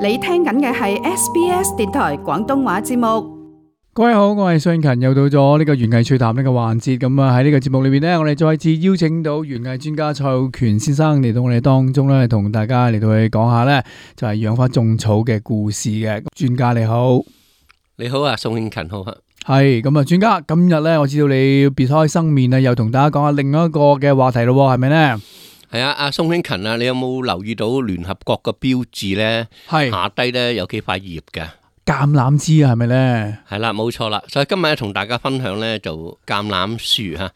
你聽緊嘅係 SBS 電台廣東話節目。各位好，我係信勤，又到咗呢個園藝趣談呢個環節。咁啊喺呢個節目裏邊呢，我哋再次邀請到園藝專家蔡浩權先生嚟到我哋當中咧，同大家嚟到去講下呢，就係養花種草嘅故事嘅。專家你好。你好啊，宋慶勤好啊。係咁啊，專家今日呢，我知道你別開生面啊，又同大家講下另一個嘅話題咯，係咪呢？係啊，阿宋慶勤啊，你有冇留意到聯合國嘅標誌呢？係下低呢有幾塊葉嘅橄欖枝啊，係咪呢？係啦，冇錯啦。所以今日同大家分享呢就橄欖樹吓。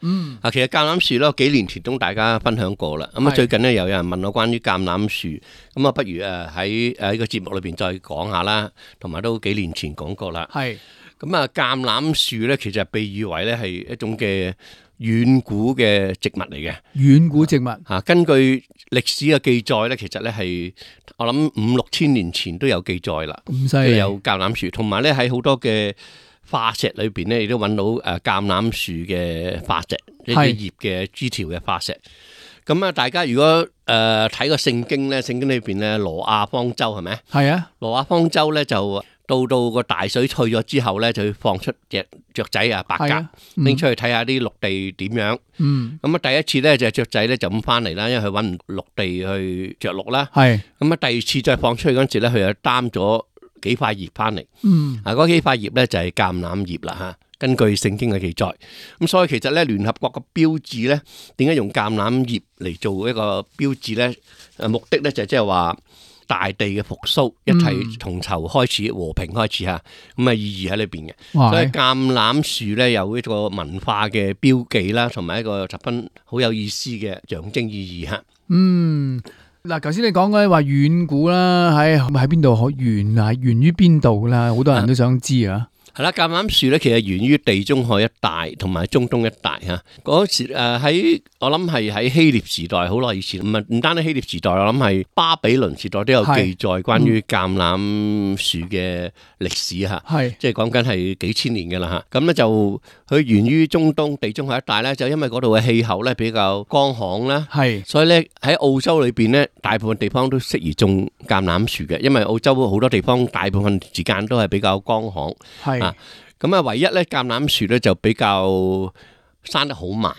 其實橄欖樹咧幾年前都大家分享過啦。咁啊最近呢又有人問我關於橄欖樹，咁啊不如喺呢個節目裏邊再講下啦。同埋都幾年前講過啦。係咁啊，橄欖樹呢其實被譽為呢係一種嘅遠古嘅植物嚟嘅。遠古植物吓，根據歷史嘅記載咧，其實咧係我諗5-6千年前都有記載啦。咁犀利，有橄欖樹，同埋咧喺好多嘅化石裏邊咧，亦都揾到橄欖樹嘅化石，一啲葉嘅枝條嘅化石。咁啊，大家如果睇個聖經咧，聖經裏邊咧挪亞方舟係咪？係啊，挪亞方舟咧就到個大水退咗之後咧，就放出隻雀仔啊，白鴿拎出去睇下啲陸地點樣。咁啊，第一次咧就雀仔咧就咁翻嚟啦，因為佢搵唔陸地去着陸啦。係咁啊，第二次再放出去嗰陣時咧，佢又擔咗幾塊葉翻嚟。嗰幾塊葉咧就係橄欖葉啦吓。根據聖經嘅記載，咁所以其實咧聯合國嘅標誌咧，點解用橄欖葉嚟做一個標誌咧？目的咧就即係話大地嘅復甦，一切從頭開始，和平開始吓，咁啊意義喺裏邊嘅。所以橄欖樹咧有一個文化嘅標記啦，同埋一個十分好有意思嘅象徵意義吓。嗱，頭先你講嘅話遠古啦，喺邊度源於邊度啦？好多人都想知啊。係啦，橄欖樹咧，其實源於地中海一帶同埋中東一帶嚇。嗰時喺我諗係喺希臘時代好耐以前，唔單止希臘時代，我諗係巴比倫時代都有記載關於橄欖樹嘅歷史嚇。即係講緊係幾千年嘅啦嚇。咁咧就佢源於中東地中海一帶咧，就因為嗰度嘅氣候咧比較乾旱啦，所以咧喺澳洲裏邊咧，大部分地方都適宜種橄欖樹嘅，因為澳洲好多地方大部分時間都係比較乾旱。咁啊，唯一咧橄欖樹咧就比較生得好慢，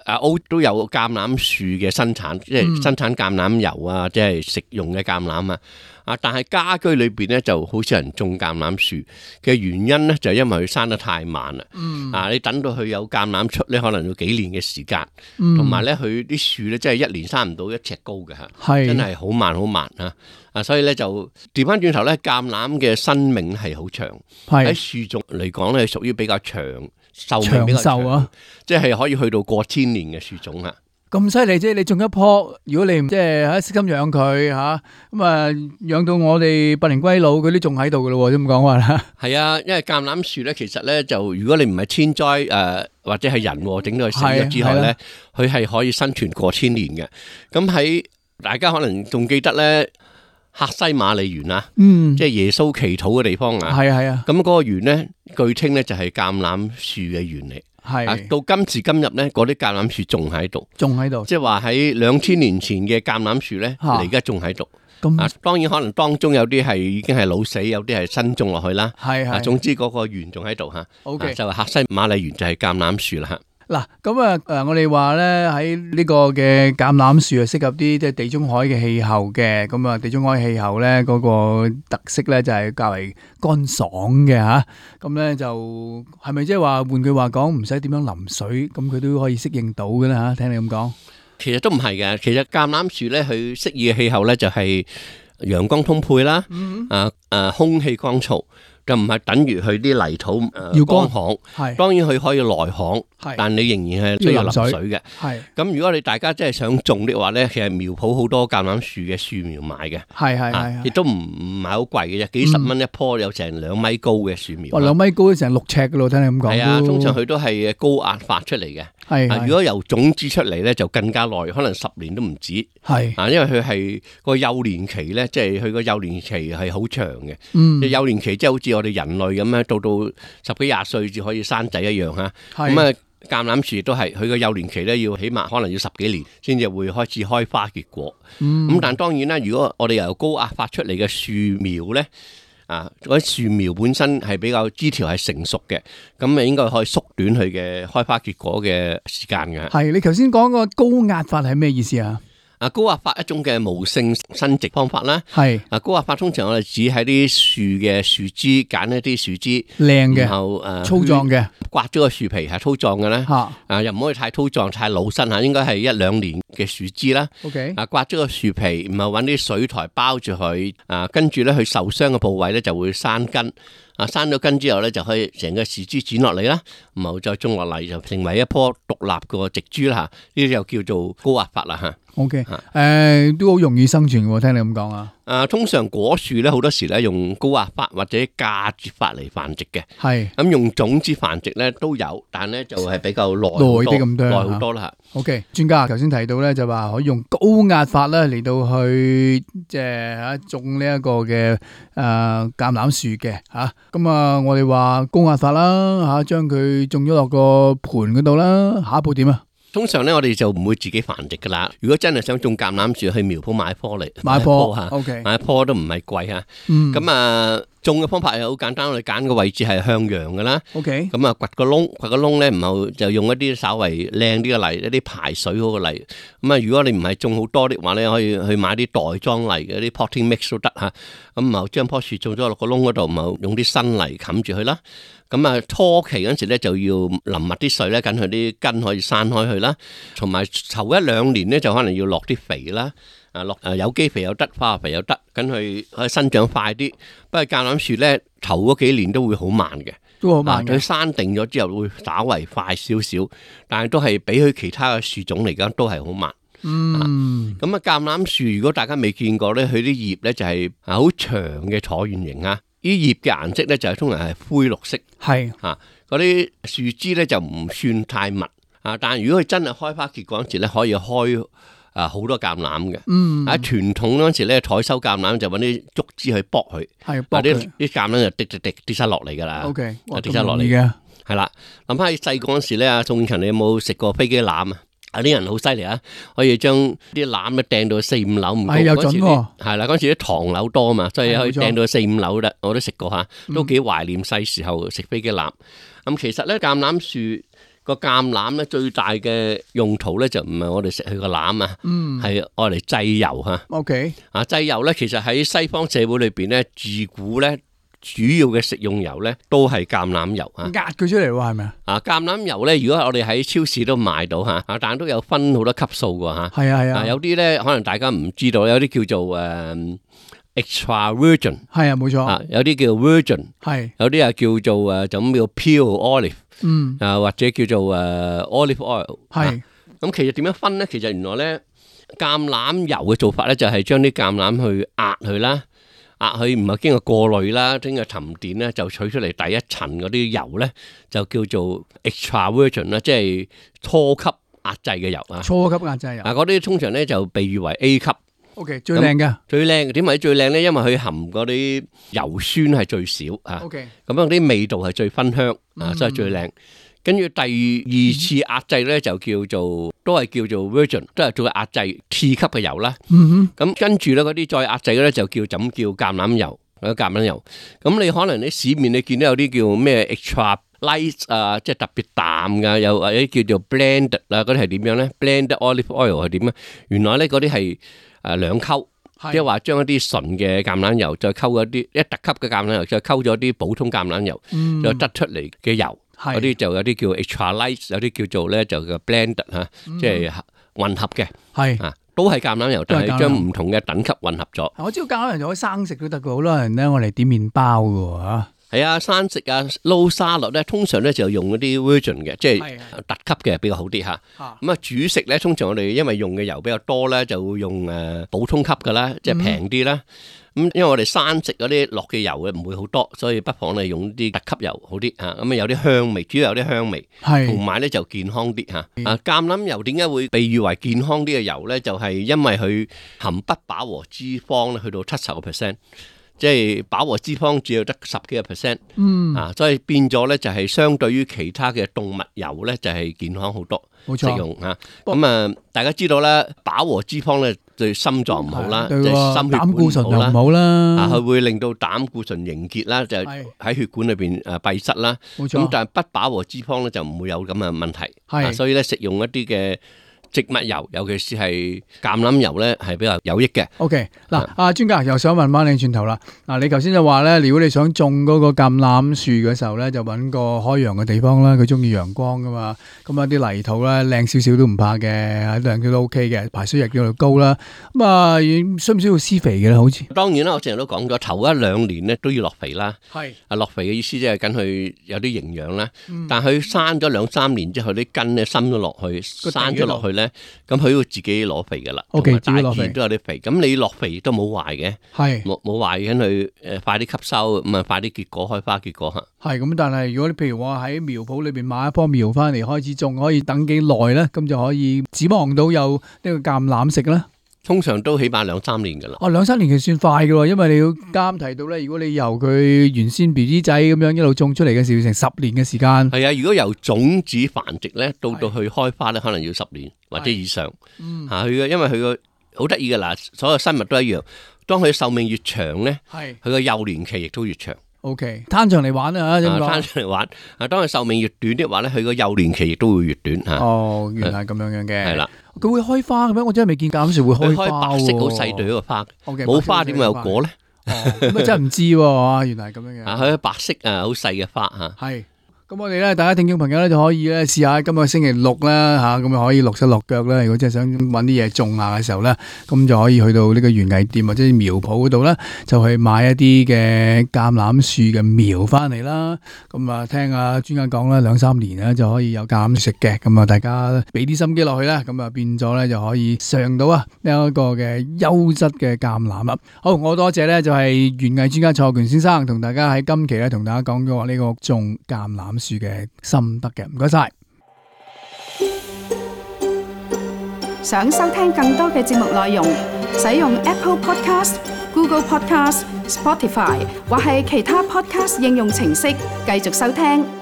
澳都有橄欖樹嘅生產，即係生產橄欖油啊，即係食用嘅橄欖啊。但係家居裏邊咧就好少人種橄欖樹嘅原因咧，就係因為佢生得太慢啦。你等到佢有橄欖出咧，可能要幾年嘅時間，同埋咧佢啲樹咧真係一年生唔到1尺高嘅吓，真係好慢啊！所以咧就調翻轉頭咧，橄欖嘅生命係好長，喺樹種嚟講咧，屬於比較長壽命比較長啊，即係可以去到過千年嘅樹種啊！咁犀利啫！你種一棵，如果你即係喺悉心養佢吓，咁啊養到我哋百年歸老，佢都仲喺度噶咯，咁講話啦。係啊，因為橄欖樹咧，其實咧就如果你唔係天災或者係人整到佢死咗之後咧，佢係可以生存過千年嘅。咁喺大家可能仲記得咧。客西馬尼園啊，即係耶穌祈禱嘅地方啊，咁嗰個園咧，據稱咧就係橄欖樹嘅園嚟，到今時今日咧，嗰啲橄欖樹仲喺度，即係話喺2000年前嘅橄欖樹咧，而家仲喺度。當然可能當中有啲係已經係老死，有啲係新種落去啦。總之嗰個園仲喺度吓，就係客西馬尼園就係橄欖樹啦吓。嗱，咁我哋話咧喺呢個嘅橄欖樹係適合啲即係地中海嘅氣候嘅，咁啊地中海氣候咧嗰個特色咧就係較為乾爽嘅吓，咁咧就係咪即係話換句話講唔使點樣淋水，咁佢都可以適應到嘅咧吓？聽你咁講，其實都唔係嘅，其實橄欖樹咧佢適宜嘅氣候咧就係陽光充沛啦，空氣乾燥。就唔係等於佢啲泥土要乾旱，當然佢可以耐旱，但你仍然係需要淋水嘅。咁如果你大家真係想種的話咧，其實苗圃好多橄欖樹嘅樹苗買嘅，亦都唔係好貴嘅啫，幾十蚊一棵，有成2米高嘅樹苗。2米高成6尺噶咯，聽你咁講。係啊，通常佢都係高壓發出嚟嘅。如果由種子出嚟咧，就更加耐，可能10年都唔止。因為佢係個幼年期咧，即係佢個幼年期係好長嘅。幼年期即係好似我哋人類咁樣，到10幾20歲至可以生仔一樣吓。咁橄欖樹亦都係佢個幼年期咧，要起碼可能要10幾年先至會開始開花結果。咁但當然啦，如果我哋由高壓發出嚟嘅樹苗咧，嗰啲樹苗本身係比較枝條係成熟嘅，咁咪應該可以縮短佢嘅開花結果嘅時間嘅。係，你頭先講個高壓法係咩意思啊？高壓法一種嘅無性生殖方法啦。係高壓法通常我哋指喺啲樹嘅樹枝，揀一啲樹枝靚嘅，然後粗壯嘅，刮咗個樹皮係粗壯嘅咧。又唔可以太粗壯太老身嚇，應該係1-2年嘅樹枝啦。OK，刮咗個樹皮，然後揾啲水苔包住佢，跟住咧佢受傷嘅部位咧就會生根。生咗根之後咧，就可以成個樹枝剪落嚟啦，然後再種落嚟，就成為一棵獨立嘅植株啦。呢啲就叫做高壓法啦嚇。OK，都好容易生存喎，聽你咁講啊。通常果樹咧好多時咧用高壓法或者嫁接法嚟繁殖嘅。係。咁用種子繁殖咧都有，但咧就係比較耐啲咁多，耐好多啦嚇。OK，專家頭先提到咧就話可以用高壓法咧嚟到去即係種呢一個嘅橄欖樹嘅嚇。咁我哋話高壓法啦嚇，將佢種咗落個盤嗰度啦。下一步點啊？通常咧，我哋就唔會自己繁殖噶啦。如果真係想種橄欖樹，去苗圃買棵嚟，買棵嚇， OK， 買棵都唔係貴嚇。咁種嘅方法係好簡單，我哋揀個位置係向陽嘅啦。OK，咁掘個窿咧，然後就用一啲稍為靚啲嘅泥，一啲排水嗰個泥。咁如果你唔係種好多的話咧，可以去買啲袋裝泥嘅啲 potting mix 都得嚇。咁然後將棵樹種咗落個窿嗰度，然後用啲新泥冚住佢啦。咁初期嗰陣時咧就要淋密啲水咧，等佢啲根可以散開去啦。同埋頭1-2年咧就可能要落啲肥啦。落有機肥又得，化學肥又得，咁佢可以生長快啲。不過橄欖樹咧頭嗰幾年都會好慢嘅，都好慢嘅。佢生定咗之後會稍為快少少，但係都係比佢其他嘅樹種嚟講都係好慢。咁橄欖樹如果大家未見過咧，佢啲葉咧就係好長嘅橢圓形啊。啲葉嘅顏色咧就係通常係灰綠色。係嗰啲樹枝咧就唔算太密但係如果佢真係開花結果嗰時咧，可以開好多橄欖嘅。喺傳統嗰陣時咧，採收橄欖就揾啲竹枝去剝佢，啲橄欖就跌晒落嚟噶啦。OK， 跌晒落嚟嘅。係啦，諗翻起細個嗰陣時咧，宋強你有冇食過飛機欖啊？啲人好犀利啊，可以將啲欖咧掟到4-5樓唔高。有準喎。係啦，嗰陣時啲唐樓多嘛，所以可以掟到4-5樓得。我都食過嚇，都幾懷念細時候食飛機欖。咁其實咧，橄欖樹個橄欖咧最大嘅用途咧就唔係我哋食佢個欖啊，係愛嚟製油嚇。OK，製油咧其實喺西方社會裏邊咧，自古咧主要嘅食用油咧都係橄欖油啊。壓佢出嚟喎，係咪啊？橄欖油咧，如果我哋喺超市都買到嚇，但係都有分好多級數㗎嚇。係啊。有啲咧可能大家唔知道，有啲叫做extra virgin， 係啊，冇錯。有啲叫 virgin， 係有啲啊叫做就咁叫 pure olive，或者叫做olive oil。係咁，其實點樣分咧？其實原來咧橄欖油嘅做法咧，就係將啲橄欖去壓佢啦，壓佢唔係經過過濾啦，經過沉澱咧，就取出嚟第一層嗰啲油咧，就叫做 extra virgin 啦，即係初級壓製嘅油啊。初級壓製油嗰啲通常咧就被譽為 A 級。OK， 最靚嘅，最靚點解最靚咧？因為佢含嗰啲油酸係最少OK，咁樣啲味道係最芬香所以最靚。跟住第二次壓製咧就叫做都係叫做 virgin， 都係做壓製次級嘅油啦。咁跟住咧嗰啲再壓製嘅咧就叫橄欖油，橄欖油。咁你可能喺市面你見到有啲叫咩 extra light 即係特別淡噶，有或者叫做 blended 嗰啲係點樣咧 ？blended olive oil 係點咧？原來咧嗰啲係兩溝，即係話將一啲純嘅橄欖油再溝一特級嘅橄欖油，再溝咗啲普通橄欖油，就得出嚟嘅油。嗰啲就有啲叫 extra light， 有啲叫做咧就叫 blended 即係混合嘅。係都係橄欖油，但係將唔同嘅等級混合咗。我知道橄欖油就可以生食都得嘅，好多人咧我嚟點麵包嘅嚇。係啊，生食撈沙律咧，通常咧就用嗰啲 virgin 嘅，即係特級嘅比較好啲嚇。咁煮食咧，通常我哋因為用嘅油比較多咧，就會用普通級嘅啦，即係平啲啦。咁因為我哋生食嗰啲落嘅油嘅唔會好多，所以不妨你用啲特級油好啲嚇。咁有啲香味，主要有啲香味，同埋咧就健康啲嚇。橄欖油點解會被譽為健康啲嘅油咧？就係因為佢含不飽和脂肪咧去到70%。即係飽和脂肪只有得10幾個 percent，所以變咗咧就係相對於其他嘅動物油咧就係健康好多，冇錯食用嚇。咁大家知道啦，飽和脂肪咧對心臟唔好啦，對心血管膽固醇又唔唔好啦，佢會令到膽固醇凝結啦，就喺血管裏邊閉塞啦。冇錯。咁但係不飽和脂肪咧就唔會有咁嘅問題，所以咧食用一啲嘅植物油，尤其是係橄欖油咧，係比較有益嘅。OK， 嗱，阿專家又想問翻你轉頭啦。嗱，你頭先就話咧，如果你想種嗰個橄欖樹嘅時候咧，就揾個開陽嘅地方啦。佢中意陽光噶嘛，咁啊啲泥土咧靚少少都唔怕嘅，靚都 OK 嘅，排水力又高啦。咁啊，需唔需要施肥嘅咧？好似當然啦，我成日都講咗，頭1-2年咧都要落肥啦。係落肥嘅意思即係緊佢有啲營養啦。但係佢生咗2-3年之後，啲根咧深咗落去，生咗落去咧。咁佢要自己攞肥噶啦，同埋大自然都有啲肥。咁你落肥都冇壞嘅，冇壞嘅，佢快啲吸收，咁啊快啲結果，開花結果嚇。係咁，但係如果你譬如話喺苗圃裏邊買一棵苗翻嚟開始種，可以等幾耐咧？咁就可以指望到有呢個橄欖食咧。通常都起碼2-3年噶啦。2-3年其實算快噶喎，因為你要啱提到咧，如果你由佢原先 BB 仔咁樣一路種出嚟嘅時，成10年嘅時間。係啊，如果由種子繁殖咧，到去開花咧，可能要10年或者以上。佢嘅，因為佢個好得意噶啦，所有生物都一樣。當佢壽命越長咧，佢個幼年期亦都越長。OK， 攤長嚟玩啊，攤長嚟玩。當佢壽命越短的話咧，佢個幼年期亦都會越短嚇。哦，原來係咁樣嘅。係啦。佢會開花嘅咩？我真係未見橄欖樹會開花喎。開白色好細朵嘅花，冇花點會有果咧？咁啊真係唔知喎，原來係咁樣嘅。佢白色好細嘅花嚇。係。咁我哋咧，大家聽眾朋友咧就可以咧試下今個星期六啦嚇，咁啊可以落手落腳啦。如果真係想揾啲嘢種下嘅時候咧，咁就可以去到呢個園藝店或者苗圃嗰度咧，就去買一啲嘅橄欖樹嘅苗翻嚟啦。咁啊聽阿專家講啦，2-3年咧就可以有橄欖食嘅。咁啊大家俾啲心機落去啦，咁啊變咗咧就可以嘗到啊呢一個嘅優質嘅橄欖啦。好，我多謝咧就係園藝專家蔡浩權先生同大家喺今期咧同大家講咗呢個種橄欖樹嘅心得嘅，唔該晒。想收聽更多嘅節目內容，使用 Apple Podcast、Google Podcast、Spotify 或係其他 Podcast 應用程式繼續收聽。